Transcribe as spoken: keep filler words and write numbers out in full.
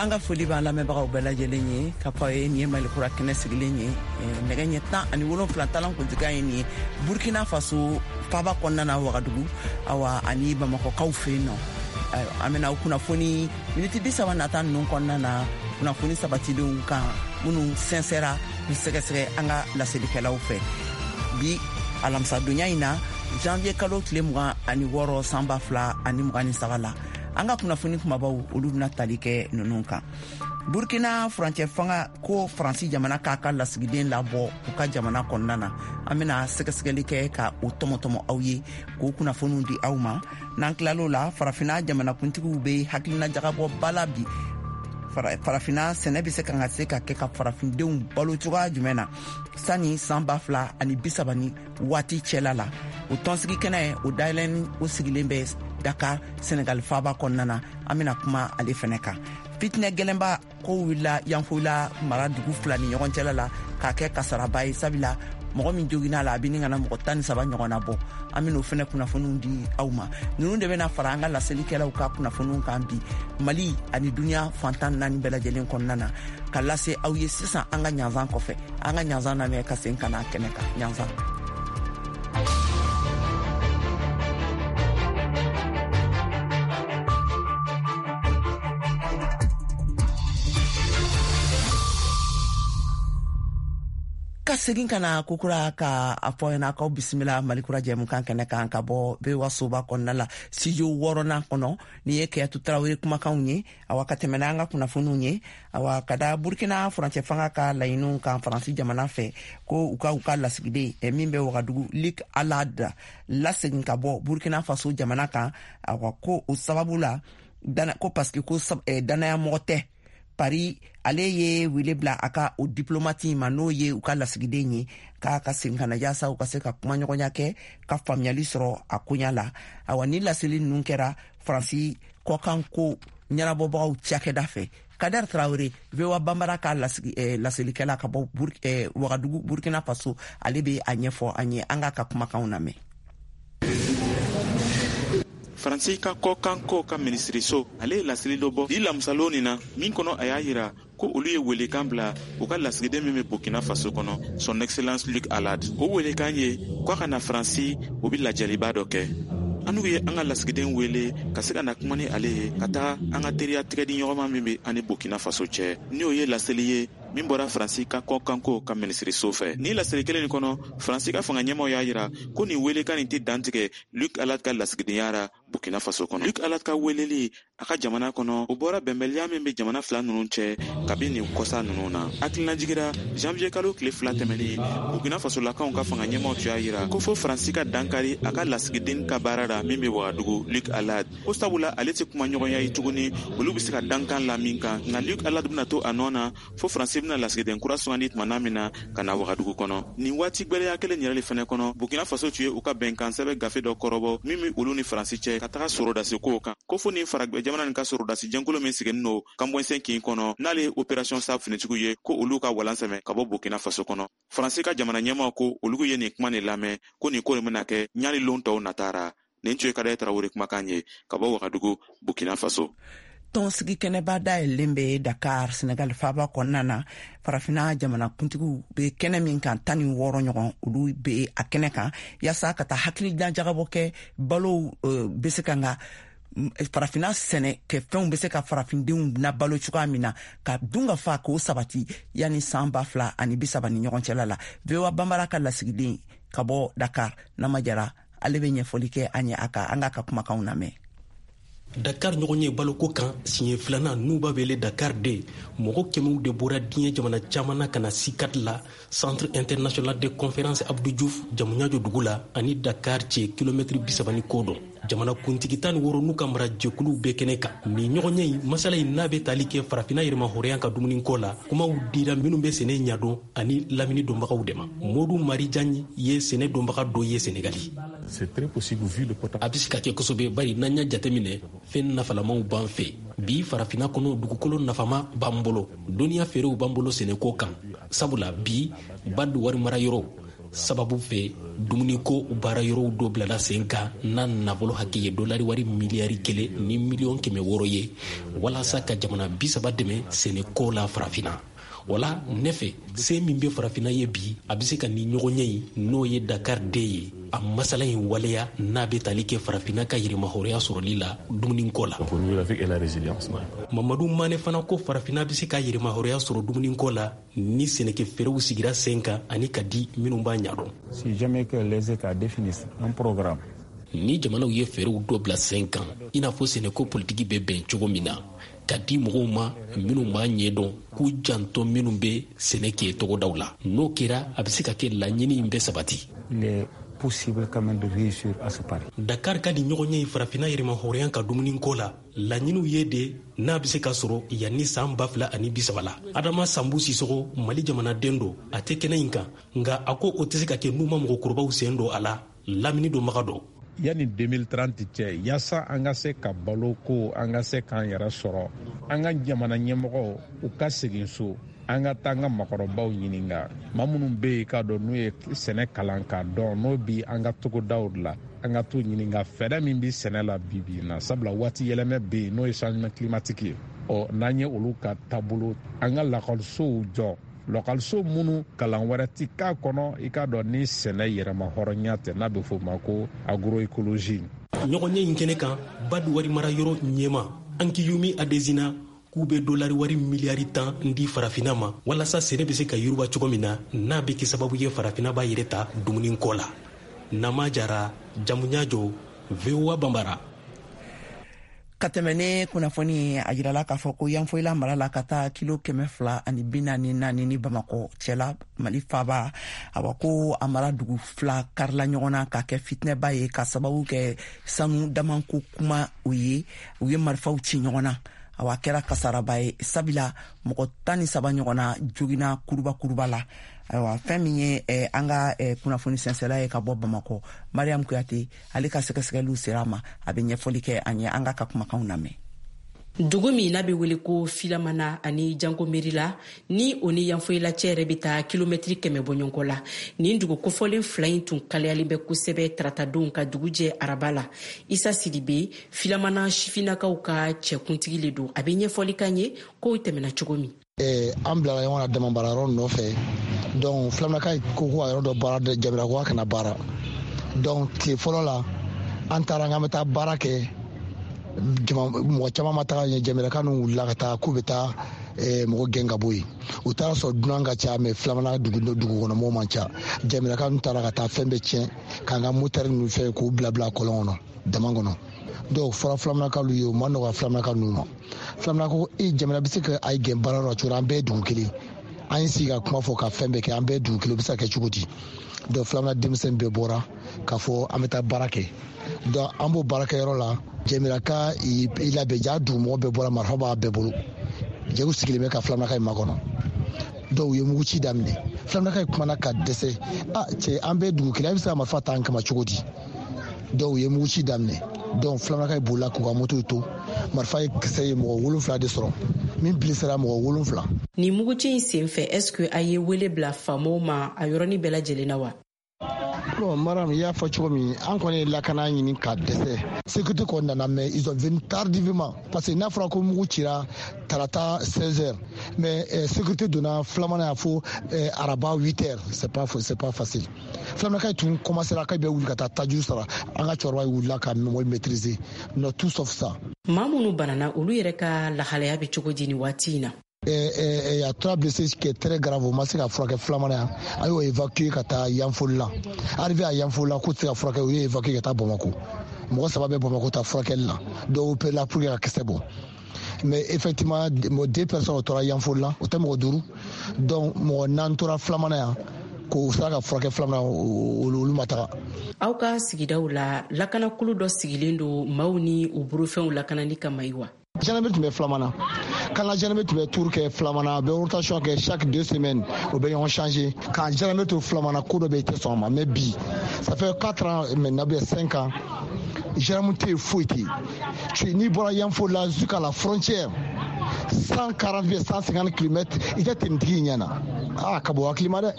An ka foli b'an lamɛnbagaw bɛɛ lajɛlen ye k'a fɔ ye nin ye Mali kura kɛnɛ sigilen ye nɛgɛ ɲɛ tan ani wolonfila talan kuntigiya ye nin ye Burkina Faso faaba kɔnɔna na Wagadugu, awa ani Bamakɔkaw fɛ yen nɔ. An bɛna aw kunnafoni miniti bi saba nata ninnu kɔnɔna na, kunnafoni sabatilenw kan minnu sɛnsɛra k'u sɛgɛsɛgɛ an ka laselikɛlaw fɛ bi alamisadonya in na, janvier kalo tile mugan ani wɔɔrɔ san ba fila ani mugan ni saba la. An ka kunnafoni kumabaw, olu bɛna tali kɛ ninnu kan: Burkina furancɛ fanga ko Faransi jamana k'a ka lasigiden labɔ u ka jamana kɔnɔna na. An bɛna sɛgɛsɛgɛli kɛ ka o tɔmɔtɔmɔ aw ye k'o kunnafoniw di aw ma. N'an tilal'o la, Farafina jamanakuntigiw bɛ hakilina jagabɔ ba la bi: Farafina sɛnɛ bɛ se ka ka se ka kɛ ka farafindenw balo cogoya jumɛn na sani san ba fila ani bi saba ni waati cɛla la. O tɔnsigi kɛnɛ o dayɛlɛn o sigilen bɛ Dakar, Senegal faaba kɔnɔna na. An bɛna kuma ale fɛnɛ kan. Fitinɛ gɛlɛnba ko wulila Yanfolila mara dugu fila ni ɲɔgɔn cɛla la k'a kɛ kasaraba ye, sabula mɔgɔ min joginna la, a bɛ ni kana mɔgɔ tan ni saba ɲɔgɔn na bɔ. An bɛn'o fɛnɛ kunnafoniw di aw ma. Ninnu de bɛna fara an ka laselikɛlaw ka kunnafoniw kan bi, Mali ani duniya fantan naani bɛɛ lajɛlen kɔnɔna na, ka lase aw ye sisan. An ka ɲanzan kɔfɛ, an ka ɲanzan lamɛn ka segin ka na kɛnɛ kan. Ɲanzan. Ka segin ka na kokura ka a fɔ ɲɛna k'aw bisimila Malikura jɛmukan kɛnɛ kan ka bɔ V O A soba kɔnɔna la, studio wɔɔrɔnan kɔnɔ. Nin ye Kɛyatu Tarawele kumakanw ye. Awa, ka tɛmɛ n'an ka kunnafoniw ye, awa, ka da Burkina furancɛ fanga ka laɲiniw kan Faransi jamana fɛ ko u ka u ka lasigiden min bɛ Wagadugu, Luc Alad, lasegin ka bɔ Burkina Faso jamana kan. Awa, ko o sababu la dana, ko parce que ko danaya mɔgɔ tɛ. Paris ale ye wele bila a ka o diplomate ma, n'o ye u ka lasigiden ye, k'a ka segin ka na yaasa u ka se ka kumaɲɔgɔnya kɛ ka faamuyali sɔrɔ a koɲa la. Awa, ni laseli ninnu kɛra Faransi kɔkan ko ɲɛnabɔbagaw cakɛda fɛ. Kader Traoré, V O A Banbara ka lasigi, eh, laselikɛla ka bɔ Bur eh, Wagadugu, Burkina Faso, ale bɛ a ɲɛfɔ an ye. An k'a ka kumakanw lamɛn. Faransi ka kɔkanko ka minisiriso ale ye laseli dɔ bɔ bi lamisalon nin na, min kɔnɔ a y'a yira ko olu ye welekan bila u ka lasigiden min bɛ Burkina Faso kɔnɔ, Son Excellence Luc Alad. O welekan ye ko a ka na Faransi, o be lajɛliba dɔ kɛ. An n'u ye an ka lasigiden wele ka se ka na kuma ni ale ye ka taga an ka teriya tigɛdi ɲɔgɔnma min be an ni Burkina Faso cɛ. Ni o ye laseli ye min bɔra Faransi ka kɔkanko ka minisiriso fɛ. Ni laseli kelen nin kɔnɔ, Faransi ka fanga ɲɛmaw y'a yira ko nin welekan nin tɛ dantigɛ Luc Alad ka lasigidenya ra Burkina Faso kɔnɔ. Luc Alad ka weleli a ka jamana kɔnɔ, o bɔra bɛnbɛliya min be jamana fila nunu cɛ kabi nin kɔsa nunu na. Hakilinajigira, janvier kalo tile fila tɛmɛnin, Burkina Fasolakaw ka fanga ɲɛmaw tun y'a yira ko fo Faransi ka dankari a ka lasigiden ka baara ra min be Wagadugu, Luc Alad, ko sabula ale tɛ kuma ɲɔgɔnya ye tuguni olu be se ka dankan la min kan. Nka Luc Alad bena to a nɔ na fo Faransi bena lasigiden kura sugandi tumana min na ka na Wagadugu kɔnɔ. Nin waati gwɛlɛya kelen yɛrɛ le fɛnɛ kɔnɔ, Burkina Faso tun ye u ka bɛnkan sɛbɛ gafe dɔ kɔrɔbɔ min be olu ni Faransi cɛ ka taga sorodasi kow kan, ko fo nin faragwɛ jamana nin ka sorodasi jɛnkulu min siginin no Kamboinsin kin kɔnɔ, n'ale ye Opération Sabre finitigiw ye, ko olu ka walan sɛmɛ ka bɔ Burkina Faso kɔnɔ. Faransi ka jamana ɲɛmaw ko olu ye nin kuma nin lamɛn, ko nin ko nin bena kɛ ɲani lon tɔw natara. Nin tun ye Kadɛ Tarawele kumakan ye ka bɔ Wagadugu, Burkina Faso. Tɔnsigi kɛnɛba dayɛlɛlen bɛ Dakar, Senegal faaba kɔnɔna na, Farafina jamanakuntigiw bɛ kɛnɛ min kan, tan ni wɔɔrɔ ɲɔgɔn, olu bɛ a kɛnɛ kan yaasa ka taa hakilijan jagabɔ kɛ balow bɛ se ka nka Farafina sɛnɛ kɛ fɛnw bɛ se ka farafindenw na balo cogoya min na, ka dun ka fa k'o sabati yanni san ba fila ani bi saba ni ɲɔgɔn cɛla la. V O A Banbara ka lasigiden ka bɔ Dakar, Nama Jara, ale bɛ ɲɛfɔli kɛ an ye a kan. An k'a ka kumakanw lamɛn. Dakar ɲɔgɔn ye baloko kan siɲɛ filanan, n'u b'a wele Dakar de, mɔgɔ kɛmɛw de bɔra diɲɛ jamana caman na ka na CICAD la, Centre international de conférence Abdou Diouf, Diamniadio dugu la ani Dakar cɛ kilomɛtiri bisaba ni ko dɔn. Jamana kuntigi tan ni wɔɔrɔ n'u ka marajɛkuluw bɛɛ kɛnɛ kan. Nin ɲɔgɔnye in masala in n'a bɛ tali kɛ Farafina yɛrɛmahɔrɔnya ka dumuniko la, kumaw dira minnu bɛ sɛnɛ ɲadɔn ani lamini dɔnbagaw de ma. Modu Marijan ye sɛnɛ dɔnbaga dɔ ye Senegali. A bɛ se ka kɛ kosɛbɛ, bari n'an y'a jateminɛ, fɛn nafalamaw b'an fɛ bi Farafina kɔnɔ. Dugukolo nafama b'an bolo, dɔnniya feerew b'an bolo sɛnɛko kan, sabula bi bad wari mara yɔrɔ Sababu fɛ, dumuniko baara yɔrɔw dɔ bilala sen kan n'a nafolo hakɛ ye dolari wari miliyari kelen ni miliyɔn kɛmɛ wɔɔrɔ ye, walasa ka jamana bi saba dɛmɛ sɛnɛko la Farafinna. Wala ne fɛ, se min bɛ Farafinna ye bi, a bɛ se ka nin ɲɔgɔnye in, n'o ye Dakar deux ye, a masala in waleya n'a bɛ tali kɛ Farafinna ka yɛrɛmahɔrɔnya sɔrɔli la dumuniko la. Mamadu Mane fana ko Farafinna bɛ se ka yɛrɛmahɔrɔnya sɔrɔ dumuniko la ni sɛnɛkɛ fɛɛrɛw sigira sen kan ani ka di minnu b'a ɲɛdɔn. Si jamais que les États définissent un programme, Ni jamanaw ye fɛɛrɛw dɔ bila sen kan, i n'a fɔ sɛnɛko politiki bɛ bɛn cogo min na, ka di mɔgɔw ma minnu b'a ɲɛdɔn, k'u janto minnu bɛ sɛnɛ kɛ togodaw la, n'o kɛra, a bɛ se ka kɛ laɲini in bɛ sabati. Il est possible quand même de réussir à ce pari. Dakar ka nin ɲɔgɔnye ye Farafinna yɛrɛmahɔrɔnya ka dumuniko la laɲiniw ye de, n'a bɛ se ka sɔrɔ yanni san ba fila ani bisaba la. Adama Sanbu Sisogo, Mali jamanaden don, a tɛ kɛnɛ in kan, nka a ko o tɛ se ka kɛ n'u ma mɔgɔkɔrɔbaw sen don a la, lamini donbaga dɔ. Yanni deux mille trente cɛ, yaasa an ka se ka balo ko, an ka se k'an yɛrɛ sɔrɔ, an ka jamana ɲɛmɔgɔw u ka segin so, an ka taa an ka makɔrɔbaw ɲininka, maa minnu bɛ yen k'a dɔn n'u ye sɛnɛ kalan k'a dɔn, n'o bi an ka togodaw la, an ka t'u ɲininka fɛɛrɛ min bi sɛnɛ la bi bi in na, sabula waati yɛlɛmɛ bɛ yen, n'o ye changement climatique ye. Ɔ n'an ye olu ka taabolo, an ka lakɔlisow jɔ, lakɔliso minnu kalan wɛrɛ ti k'a kɔnɔ, i k'a dɔn ni sɛnɛ yɛrɛma hɔrɔnya tɛ, n'a bɛ f'o ma ko agroécologie. Ɲɔgɔnye in kɛnɛ kan, BAD wari mara yɔrɔ ɲɛma Akinwumi Adesina k'u bɛ dolari wari miliyari tan di Farafinna ma, walasa sɛnɛ bɛ se ka yiriwa cogo min na, n'a bɛ kɛ sababu ye Farafinna b'a yɛrɛ ta dumuniko la. Nama Jara, Jamuɲajo, V O A Banbara. Ka tɛmɛ ne kunnafoni, a yirala k'a fɔ ko Yanfoyila mara la, ka taa kilo kɛmɛ fila ani bi naani naani ni Bamakɔ cɛla, Mali faba, awa ko a mara dugu fila karila ɲɔgɔn na ka kɛ fitinɛba ye, ka sababu kɛ sanu damanko kuma. O ye u ye marifaw ci ɲɔgɔn na. Awa, a kɛra kasaraba ye, sabula mɔgɔ tan ni saba ɲɔgɔn na jogina kuruba kuruba la. Ayiwa, fɛn min ye eh, an ka eh, kunnafoni sɛnsɛla ye ka bɔ Bamakɔ, Mariam Kuyate, ale ka sɛgɛsɛgɛliw sera a ma, a bɛ ɲɛfɔli kɛ an ye. An ka ka kumakanw lamɛn. Dugu min n'a bɛ wele ko Filamana ani Janko Merila, ni o ni Yanfoyila cɛ yɛrɛ bɛ taa kilomɛtiri kɛmɛ bɔɲɔgɔnko la, nin dugu kofɔlen fila in tun kalayalen bɛ kosɛbɛ taratadon ka dugu jɛ araba la. Isa Sidibe, Filamana sifinnakaw ka cɛkuntigi le don, a bɛ ɲɛfɔli kan ye kow tɛmɛna cogo min. An bilala ɲɔgɔn na dama baara yɔrɔ nɔfɛ. Donc filamanaka ko ko ka yɔrɔ dɔ baara, Jamana ko kana baara. Donc tile fɔlɔ la, an taara k'an bɛ taa baara kɛ, mɔgɔ caman ma taga ɲɛ. Jamiraka ninnu wulila ka taa k'u bɛ taa mɔgɔ gɛn ka bɔ yen. U taara sɔrɔ dunan ka ca, mais filamana dugu dugu kɔnɔ mɔgɔw man ca. Jamiraka ninnu taara ka taa fɛn bɛɛ tiɲɛ, k'an ka motɛri ninnu fɛn k'u bila bila kɔlɔn kɔnɔ, dama kɔnɔ. Dɔw fɔra filamanakaw ye, o ma nɔgɔya filamanaka ninnu ma. Filamana ko e jamana bɛ se ka a gɛn baara yɔrɔ cogo, an bɛɛ ye dugu kelen, an ye sigi ka kuma fɔ ka fɛn bɛɛ kɛ, an bɛɛ ye dugu kelen, o bɛ se ka kɛ cogo di? Donc filamana denmisɛn bɛɛ bɔra k'a fɔ an bɛ taa baara kɛ. Donc an b'o baarakɛyɔrɔ la, Jɛmiraka i labɛn ja, dugumɔgɔ bɛɛ bɔra, marifa b'a bɛɛ bolo, jɛgu sigilen bɛ ka filamanaka in makɔnɔ. Dɔw ye mugu ci daminɛ. Filamanaka in kumana ka dɛsɛ: a cɛ, an bɛɛ dugu kelen, a bɛ se ka marifa ta an kama cogo di? Dɔw ye mugu ci daminɛ. Donc filamanaka bolila k'u ka motow to. Marifa ye kisɛ ye mɔgɔ wolonfila de sɔrɔ, min bilisira mɔgɔ wolonfila. Nin muguci in sen fɛ, est ce que a ye wele bila faamaw ma a yɔrɔnin bɛɛ lajɛlen na wa? Bon Maram, i y'a fɔ cogo min, an kɔni ye lakana ɲini ka dɛsɛ. Sécurité kɔni nana, mais ils ont venu tardivement, parce que n'a fɔra ko mugu cira tarata seize heures, mais euh, sécurité donna filamana y'a fɔ euh, araba huit heures. c'est pas c'est pas facile. Filamanaka tun commencera k'a bɛ wuli ka taa tajuru sara. An ka cɛkɔrɔba wulila ka mɔgɔ maîtriser, non, tout sauf ça. Maa minnu banana, olu yɛrɛ ka lahalaya bɛ cogo di nin waati in na? Il y a trois blessés qui est très grave, o ma se ka furakɛ filamana yan, a y'o évacuer ka taa Yanfolila. Arrivé à Yanfolila, k'u tɛ se ka furakɛ, u ye évacuer ka taa Bamako. Mɔgɔ saba bɛ Bamako ta furakɛli la, dɔw opéré la pour que ka kisɛ bɔ. Mais effectivement, deux personnes o tora Yanfolila, o tɛ mɔgɔ duuru. Donc mɔgɔ naani tora filamana yan k'o sera ka furakɛ filamana, olu ma taga. Aw ka sigidaw la, lakanakulu dɔ sigilen don maaw ni u bolofɛnw lakanali kama yi wa? Gendarmerie tun bɛ filamana kan ka gendarmerie tun bɛ tour kɛ filamana, a bɛ rotation kɛ chaque deux semaines, o bɛ ɲɔgɔn changer. K'an gendarmerie to filamana, ko dɔ bɛ yen, i tɛ sɔn a ma. Mais bi, ça fait quatre ans maintenant, ou bien cinq ans, gendarme tɛ yen, foyi tɛ yen. N'i bɔra Yanfolila jusqu'à la frontière, cent quarante, cent cinquante kilomètres, i tɛ tenitigi ɲɛ na. Aa, ka bɔ hakili ma dɛ.